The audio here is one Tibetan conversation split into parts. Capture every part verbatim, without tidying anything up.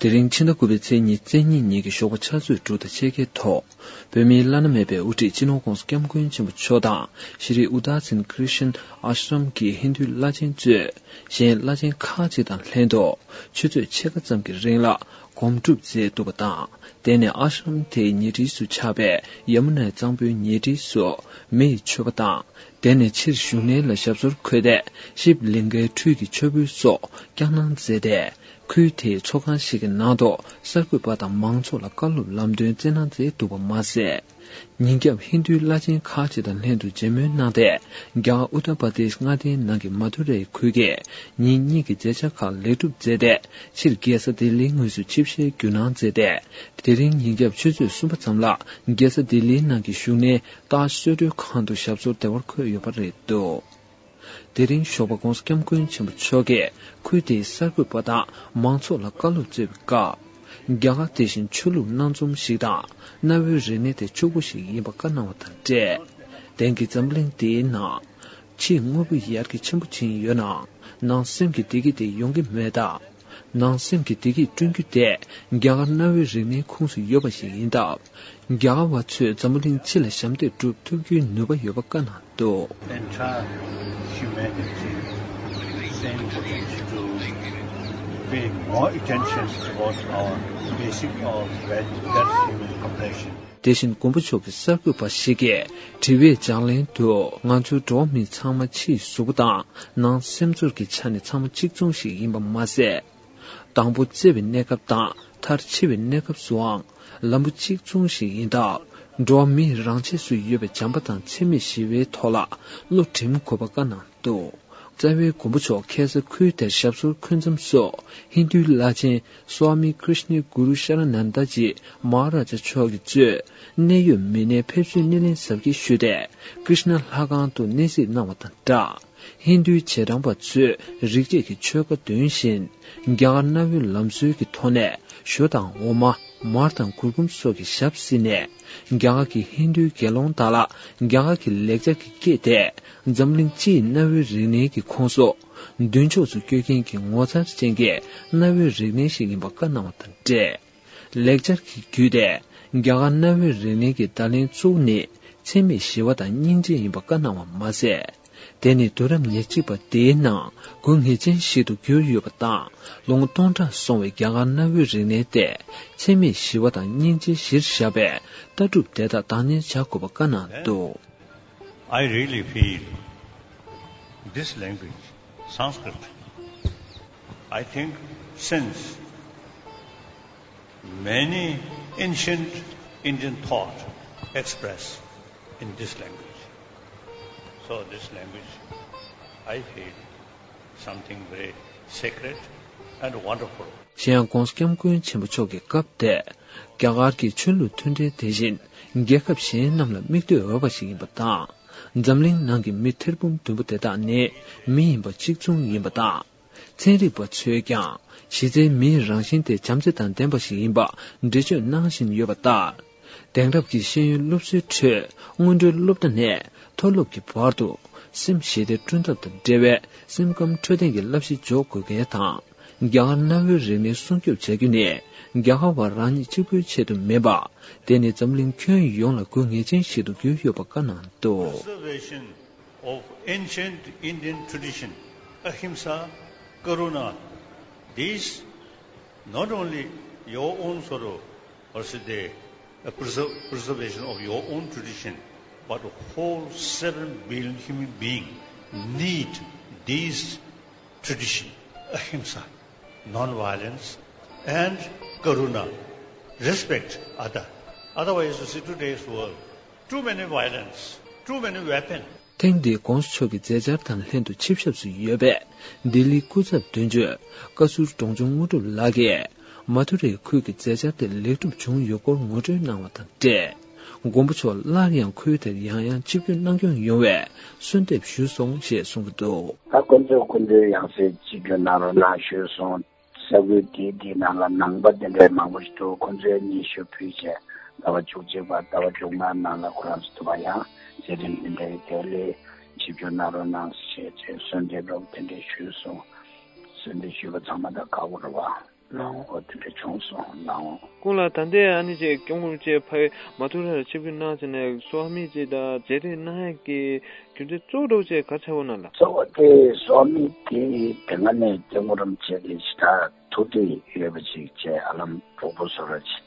དེ་རིང་ཕྱི་ཟླ་དགུ་པའི་ཚེས་ཉི་ཤུ་རྩ་གཉིས་ཉིན་གྱི་ཞོགས་པ་ཆུ་ཚོད་དྲུག་དང་ཕྱེད་ཀའི་ཐོག་བོད་མིའི་བླ་ན་མེད་པའི་དབུ་ཁྲིད་སྤྱི་ནོར་༧གོང་ས་༧སྐྱབས་མགོན་ཆེན་པོ་མཆོག་དང་ཤྲི་ཨུ་དཱ་སིན་ཁྲི་ཤན་ཨ་ཤྲམ་གྱི་ཧིན་རྡུའི་བླ་ཆེན་གཙོས་གཞན་བླ་ཆེན་ཁག་ཅིག་དང་ལྷན་དུ་ཆུ་ཚོད་ཕྱེད་ཀ་ཙམ་གྱི་རིང་ལ་སྒོམ་སྒྲུབ་མཛད་འདུག་པ་དང་། དེ་ནས་ཨ་ཤྲམ་དེའི་ཉེ་འཁྲིས་སུ་ཆགས་པའི་ཡ་མུ་ནའི་གཙང་པོའི་ཉེ་འཁྲིས་སུ་མེ་ཡི་མཆོད་པ་དང་། དེ་ནས་ཕྱིར་བཞུགས་གནས་ལ་ཞབས་སོར་འཁོད་དེ་ཞིབ་ལིང་གའི་ཁྲུས་ཀྱི་མཆོད་འབུལ་སོགས་བསྐྱངས་གནང་མཛད་དེ། ཁུལ་དེའི་ཚོགས་ཁང་ཞིག་གི་ནང་དུ་གསར་འགོད་པ་དང་མང་ཚོགས་ལ་བཀའ་སློབ་ལམ་སྟོན་སྩལ་གནང་མཛད་འདུག་པ་མ་ཟད། ཉིན་རྒྱབ་ཧིན་རྡུའི་བླ་ཆེན་ཁག་ཅིག་དང་ལྷན་དུ་མཇལ་མོལ་གནང་སྟེ། རྒྱ་གར་ཨུ་ཏར་པར་དེཤ་མངའ་སྡེའི་ནང་གི་མ་ཐུ་རའི་ཁུལ་གྱི་ཉིན་གཉིས་ཀྱི་མཛད་འཆར་ཁག་ལེགས་གྲུབ་མཛད་དེ། ཕྱིར་རྒྱལ་ས་ལྡི་ལིའི་ངོས་སུ་ཆིབས་ཞལ་བསྒྱུར་གནང་མཛད་དེ། དེ་རིང་ཉིན་རྒྱབ་ཆུ་ཚོད་གསུམ་པ་ཙམ་ལ་རྒྱལ་ས་ལྡི་ལིའི་ནང་གི་བཞུགས་གནས་ཏཱཇ་གསོལ་མགྲོན་ཁང་དུ་ཞབས་སོར་བདེ་བར་འཁོད་ཡོད་པ་རེད་འདུག་དེ་རིང་ཞོགས་པ་༧གོང་ས་༧སྐྱབས་མགོན་ཆེན་པོ་མཆོག་གིས་ཁུལ་དེའི་གསར་འགོད་པ་དང་མང་ཚོགས་ལ་བཀའ་སློབ་སྩལ་བའི་སྐབས། རྒྱ་གར་དེ་བཞིན་ཆོས་ལུགས་སྣ་འཛོམས་ཤིག་དང་གནའ་བོའི་རིག་གནས་དེ་ཕྱུག་པོ་ཞིག་ཡིན་པ་བཀའ་གནང་བ་དང་འབྲེལ། དེང་གི་འཛམ་གླིང་འདིའི་ནང་ཕྱིའི་དངོས་པོ་ཡར་རྒྱས་ཆེན་པོ་ཕྱིན་ཡོད་ནའང་ནང་སེམས་ཀྱི་བདེ་སྐྱིད་དེ་ཡོང་གི་མེད་སྟབས། ནང་སེམས་ཀྱི་བདེ་སྐྱིད་བསྐྲུན་རྒྱུ་དེ་རྒྱ་གར་གནའ་བོའི་རིག་གནས་ཁོངས་སུ་ཡོད་པ་ཞིག་ཡིན་སྟབས། རྒྱ་གར་བ་ཚོས་འཛམ་བུ་གླིང་སྤྱི་ལ་ཞབས་འདེགས་སྒྲུབ་ཐུབ་རྒྱུའི་ནུས་པ་ཡོད་པ་བཀའ་གནང་འདུག Entire humanity same to pay more attention towards our basic of that, that human compassion. དེ་བཞིན་མགོན་པོ་མཆོག་གི་གསར་འགོད་པ་ཞིག་གིས་དྲི་བའི་ལྗགས་ལན་དུ། ང་ཚོའི་འགྲོ་བ་མི་ཚང་མ་ཕྱིའི་གཟུགས་པོ་དང་ནང་སེམས་ཚོར་གྱི་ཆ་ནས་ཚང་མ་གཅིག་མཚུངས་ཤིག་ཡིན་པ་མ་ཟད། དང་པོ་བརྩེ་བའི་གནས་སྐབས་དང་མཐར་འཆི་བའི་གནས་སྐབས་སུའང་ལམ་བུ་གཅིག་མཚུངས་ཤིག་ཡིན་སྟབས། འགྲོ་བ་མིའི་རང་ཆས་སུ་ཡོད་པའི་བྱམས་པ་དང་འཚེ་མེད་ཞི་བའི་ཐོག་ལ་བློ་སྒྲིམ་དགོས་པ་བཀའ་གནང་འདུག་རྩ་བའི་མགོན་པོ་མཆོག་ཁ་སང་ཁུལ་དེར་ཞབས་སོར་འཁོད་མཚམས་སུ་ཧིན་རྡུའི་བླ་ཆེན་སྭ་མི་ཀྲི་ཤ་ནི་གུ་རུ་ཤ་ར་ནན་ད་ཇི་མ་ཧ་ར་ཇ་མཆོག་གིས་གཙོས་གནད་ཡོད་མི་སྣའི་ཕེབས་བསུའི་སྣེ་ལེན་གཟབ་རྒྱས་ཞུས་ཏེ་ཀྲི་ཤ་ན་ལྷ་ཁང་དུ་གནས་གཟིགས་གནང་བ་དང་སྦྲགས། ཧིན་རྡུའི་རྗེས་འབྲང་པ་ཚོས་རིག་བྱེད་ཀྱི་ཆོས་བཀའ་འདོན་བཞིན། རྒྱ་གར་གནའ་བོའི་ལམ་སྲོལ་གྱི་ཐོག་ནས་ཞོ་དང་འོ་མ། མར་དང་གུར་གུམ་སོགས་ཀྱི་ཞབས་བསིལ་ནས། རྒྱ་གར་གྱི་ཧིན་རྡུའི་དགེ་སློང་དག་ལ་རྒྱ་གར་གྱི་ལེགས་སྦྱར་གྱི་སྐད་དེ། འཛམ་གླིང་སྤྱིའི་གནའ་བོའི་རིག་གནས་ཀྱི་ཁོངས་སུ་མདུན་ཕྱོགས་སུ་བསྐྱོད་མཁན་གྱི་ངོ་མཚར་ཅན་གྱི་གནའ་བོའི་རིག་གནས་ཤིག་ཡིན་པ་བཀའ་གནང་བ་དང་འབྲེལ། ལེགས་སྦྱར་གྱི་བརྒྱུད་དེ་རྒྱ་གར་གནའ་བོའི་རིག་གནས་ཀྱི་བརྡ་ལན་གཙོ་བོ་ནི་འཚེ་མེད་ཞི་བ་དང་སྙིང་རྗེ་ཡིན་པ་བཀའ་གནང་བ་མ་ཟད། དེ་ནི་དུས་རབས་ཉེར་གཅིག་པ་དེའི་ནང་དགོས་ངེས་ཅན་ཞིག་ཏུ་གྱུར་ཡོད་པ་དང་། ལོ་ངོ་སྟོང་ཕྲག་སོང་བའི་རྒྱ་གར་གནའ་བོའི་རིག་གནས་དེ་འཚེ་མེད་ཞི་བ་དང་སྙིང་རྗེ་གཞིར་བཞག་པའི་ལྟ་གྲུབ་དེ་དག་བདག་གཉེར་བྱ་དགོས་པ་བཀའ་གནང་འདུག I really feel this language, Sanskrit, I think since many ancient Indian thought expressed in this language. So this language, I feel something very sacred and wonderful. གཞན་ཡང་༧གོང་ས་༧སྐྱབས་མགོན་ཆེན་པོ་མཆོག་གིས་སྐབས་དེར་རྒྱ་གར་གྱི་ཆོས་ལུགས་མཐུན་འབྲེལ་དེ་བཞིན་རྒྱལ་ཁབ་གཞན་རྣམས་ལ་མིག་ལྟོས་འོས་པ་ཞིག་ཡིན་པ་དང་། འཛམ་གླིང་ནང་གི་མི་ཐེར་འབུམ་བདུན་པོ་དེ་དག་ནི་མི་ཡིན་པ་གཅིག་མཚུངས་ཡིན་པ་དང་། ཚན་རིག་པ་ཚོས་ཀྱང་གཞི་རྩའི་མིའི་རང་བཞིན་དེ་བྱམས་བརྩེ་དང་ལྡན་པ་ཞིག་ཡིན་པ་འགྲེལ་བརྗོད་གནང་བཞིན་ཡོད་པ་ལྟར། དེང་རབས་ཀྱི་ཤེས་ཡོན་སློབ་གསོའི་ཁྲོད་སྔོན་འགྲོའི་སློབ་གྲྭ་ནས་མཐོ་སློབ་ཀྱི་བར་དུ་སེམས་ཞི་བདེ་བསྐྲུན་ཐབས་དང་འབྲེལ་བའི་སེམས་ཁམས་འཕྲོད་བསྟེན་གྱི་བསླབ་གཞི་འཇོག་དགོས་གལ་དང་། རྒྱ་གར་གནའ་བོའི་རིག་གནས་སྲུང་སྐྱོབ་བྱ་རྒྱུ་ནི་རྒྱ་གར་བ་རང་ཉིད་གཅིག་པུའི་ཆེད་དུ་མིན་པ། དེ་ནི་འཛམ་གླིང་ཁྱོན་ཡོངས་ལ་དགོས་ངེས་ཅན་ཞིག་ཏུ་གྱུར་ཡོད་པ་བཀའ་གནང་འདུག Preservation of ancient Indian tradition, ahimsa, karuna, these not only your own sort of, or should they, a preser- preservation of your own tradition, but the whole seven billion human being need these tradition, ahimsa, non-violence, and karuna, respect other. Otherwise, you see today's world, too many violence, too many weapon. ཐེངས་འདིའི་༧གོང་ས་མཆོག་གི་མཛད་འཆར་དང་ལྷན་དུ་ཆིབས་ཞབས་སུ་ཡོད་པའི་ལྡི་ལིའི་སྐུ་ཚབ་དོན་གཅོད་བཀའ་ཟུར་འབྲོང་ཆུང་དངོས་གྲུབ་ལགས་ཀྱིས། མ་ཐུ་རའི་ཁུལ་གྱི་མཛད་འཆར་དེ་ལེགས་གྲུབ་བྱུང་ཡོད་སྐོར་ངོ་སྤྲོད་གནང་བ་དང་འབྲེལ། མགོན་པོ་མཆོག་སླར་ཡང་ཁུལ་དེར་ཡང་ཡང་ཆིབས་བསྒྱུར་གནང་སྐྱོང་ཡོང་བའི་གསོལ་འདེབས་ཞུས་སོང་ཞེས་གསུངས་ཀྱི་འདུག་ད་ཁོ་ཚོས་ཁོ་ཚོའི་ཡང་སེ་ཆིབས་བསྒྱུར་གནང་རོགས་གནང་ཞུས་སོང་། ས་ཁུལ་དེའི་དེའི་ནང་ལ་ནང་པ་དེ་འདྲའི་མང་པོ་ཞིག་འདུག་ཁོ་ཚོས་སྙན་ཞུ་ཕུལ་བྱས་ཟླ་བ་བཅུ་གཅིག་པ་ཟླ་བ་བཅོ་ལྔ་ནང་ལ་ཁོ་རང་ཚོ་ཐུབ་པ་ཡང་མཛད་རིམ་དེ་འདྲའི་དེ་ལས་ཆིབས་བསྒྱུར་གནང་རོགས་གནང་ཞེས་བྱས་གསོལ་འདེབས་རོགས་དེ་འདྲའི་ཞུས་སོང་། གསོལ་འདེབས་ཞུས་པ་ཚང་མ་ད་ཁག་པོ་རེད་བ། ལའོ། འོ་དེ་འདྲ་བྱུང་སོང་ལའོ། ཀུན་ལ་ད་ལྟའི་ཨ་ནི་ཅིག་སྐྱབས་མགོན་རིན་པོ་ཆེ་ཕ་གི་མ་ཐུག་ར་ཆིབས་བསྒྱུར་གནང་ཟེར་ནས་གསོལ་བ་དམིགས་བརྩེ་དང་མཇལ་འཕྲད་གནང་ཡག་གི་རྒྱུ་མཚན་གཙོ་བོ་འདྲ་བོ་ཅིག་ག་རེ་ཆགས་ཡོད་ན་ལགས། གཙོ་བོ་དེ་གསོལ་བ་དམིགས་བརྩེ་དེ་དེ་སྔ་ནས་སྐྱབས་མགོན་རིན་པོ་ཆེ་གི་ཞེ་དྲག་ཐུགས་འདོད་ཡོད་པ་ཅིག་བྱས། ཧ་ལམ་གྲོགས་པོ་བཟོ་འདྲ་ཅིག་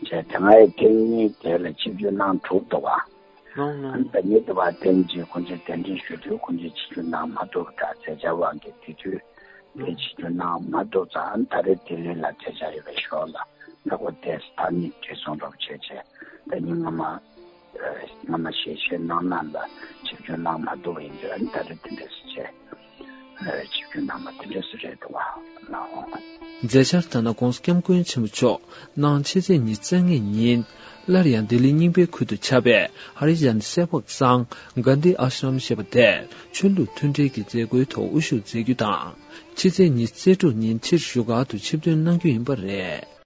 བྱས། དེ་སྔ་ཡི་ཐེངས་གཉིས་དེ་ལ་ཆིབས་བསྒྱུར་གནང་གྲུབ་འདུག་བ། ལོང་ལོང་། ཨ་ནི་ད་ཉིད་དུ་བ་ཐེངས་གཅིག་ཁོང་ཚོས་གདན་འདྲེན་ཞུ་དུས་ཁོང་ཚོས་ཆིབས་བསྒྱུར་གནང་མ་ཐུབ་པ་འདྲ། མཛད་འཆར་དབང་གིས་དེ་དུས་དེ་ཆིབས་བསྒྱུར་གནང་མ་ཐུབ་ཙང་། ཨ་ནི་ད་རེས་ལྡི་ལི་ལ་མཛད་འཆར་ཡོད་པའི་ཞོར་ལ་ད་ཁོ་དེ་ཐ་སྙད་བྲིས་སོང་འདྲ་བོ་བྱས་བྱས། ད་ཉིན་སྔ་མ་ཨ་སྔ་མ་ཞལ་བཞེས་གནང་གནང་ལ་ཆིབས་བསྒྱུར་གནང་མ་ཐུབ་པ་ཡིན་དུས། ཨ་ནི་ད་རེས་དེ་འདྲས་བྱས། ཆིབས་བསྒྱུར་གནང་བ་དེ་འདྲ་ཞིག་རེད་འདུག་བ་ལགས། མཛད་འཆར་ལྟར་ན་༧གོང་ས་༧སྐྱབས་མགོན་ཆེན་པོ་མཆོག་གནངས་ཕྱི་ཚེས་ཉི་ཤུ་རྩ་ལྔའི་ཉིན་སླར་ཡང་ལྡི་ལི་རྙིང་པའི་ཁུལ་དུ་ཆགས་པའི་ཧ་རི་ཇན་སེ་བག་སང་གྷན་དྷི་ཨ་ཤྲམ་ཞེས་པ་དེར་ཆོས་ལུགས་མཐུན་འབྲེལ་གྱི་མཛད་སྒོའི་ཐོག་དབུ་བཞུགས་མཛད་རྒྱུ་དང་། ཕྱི་ཚེས་ཉི་ཤུ་རྩ་དྲུག་ཉིན་ཕྱིར་བཞུགས་སྒར་དུ་ཆིབས་ཐོན་གནང་རྒྱུ་ཡིན་པ་རེད།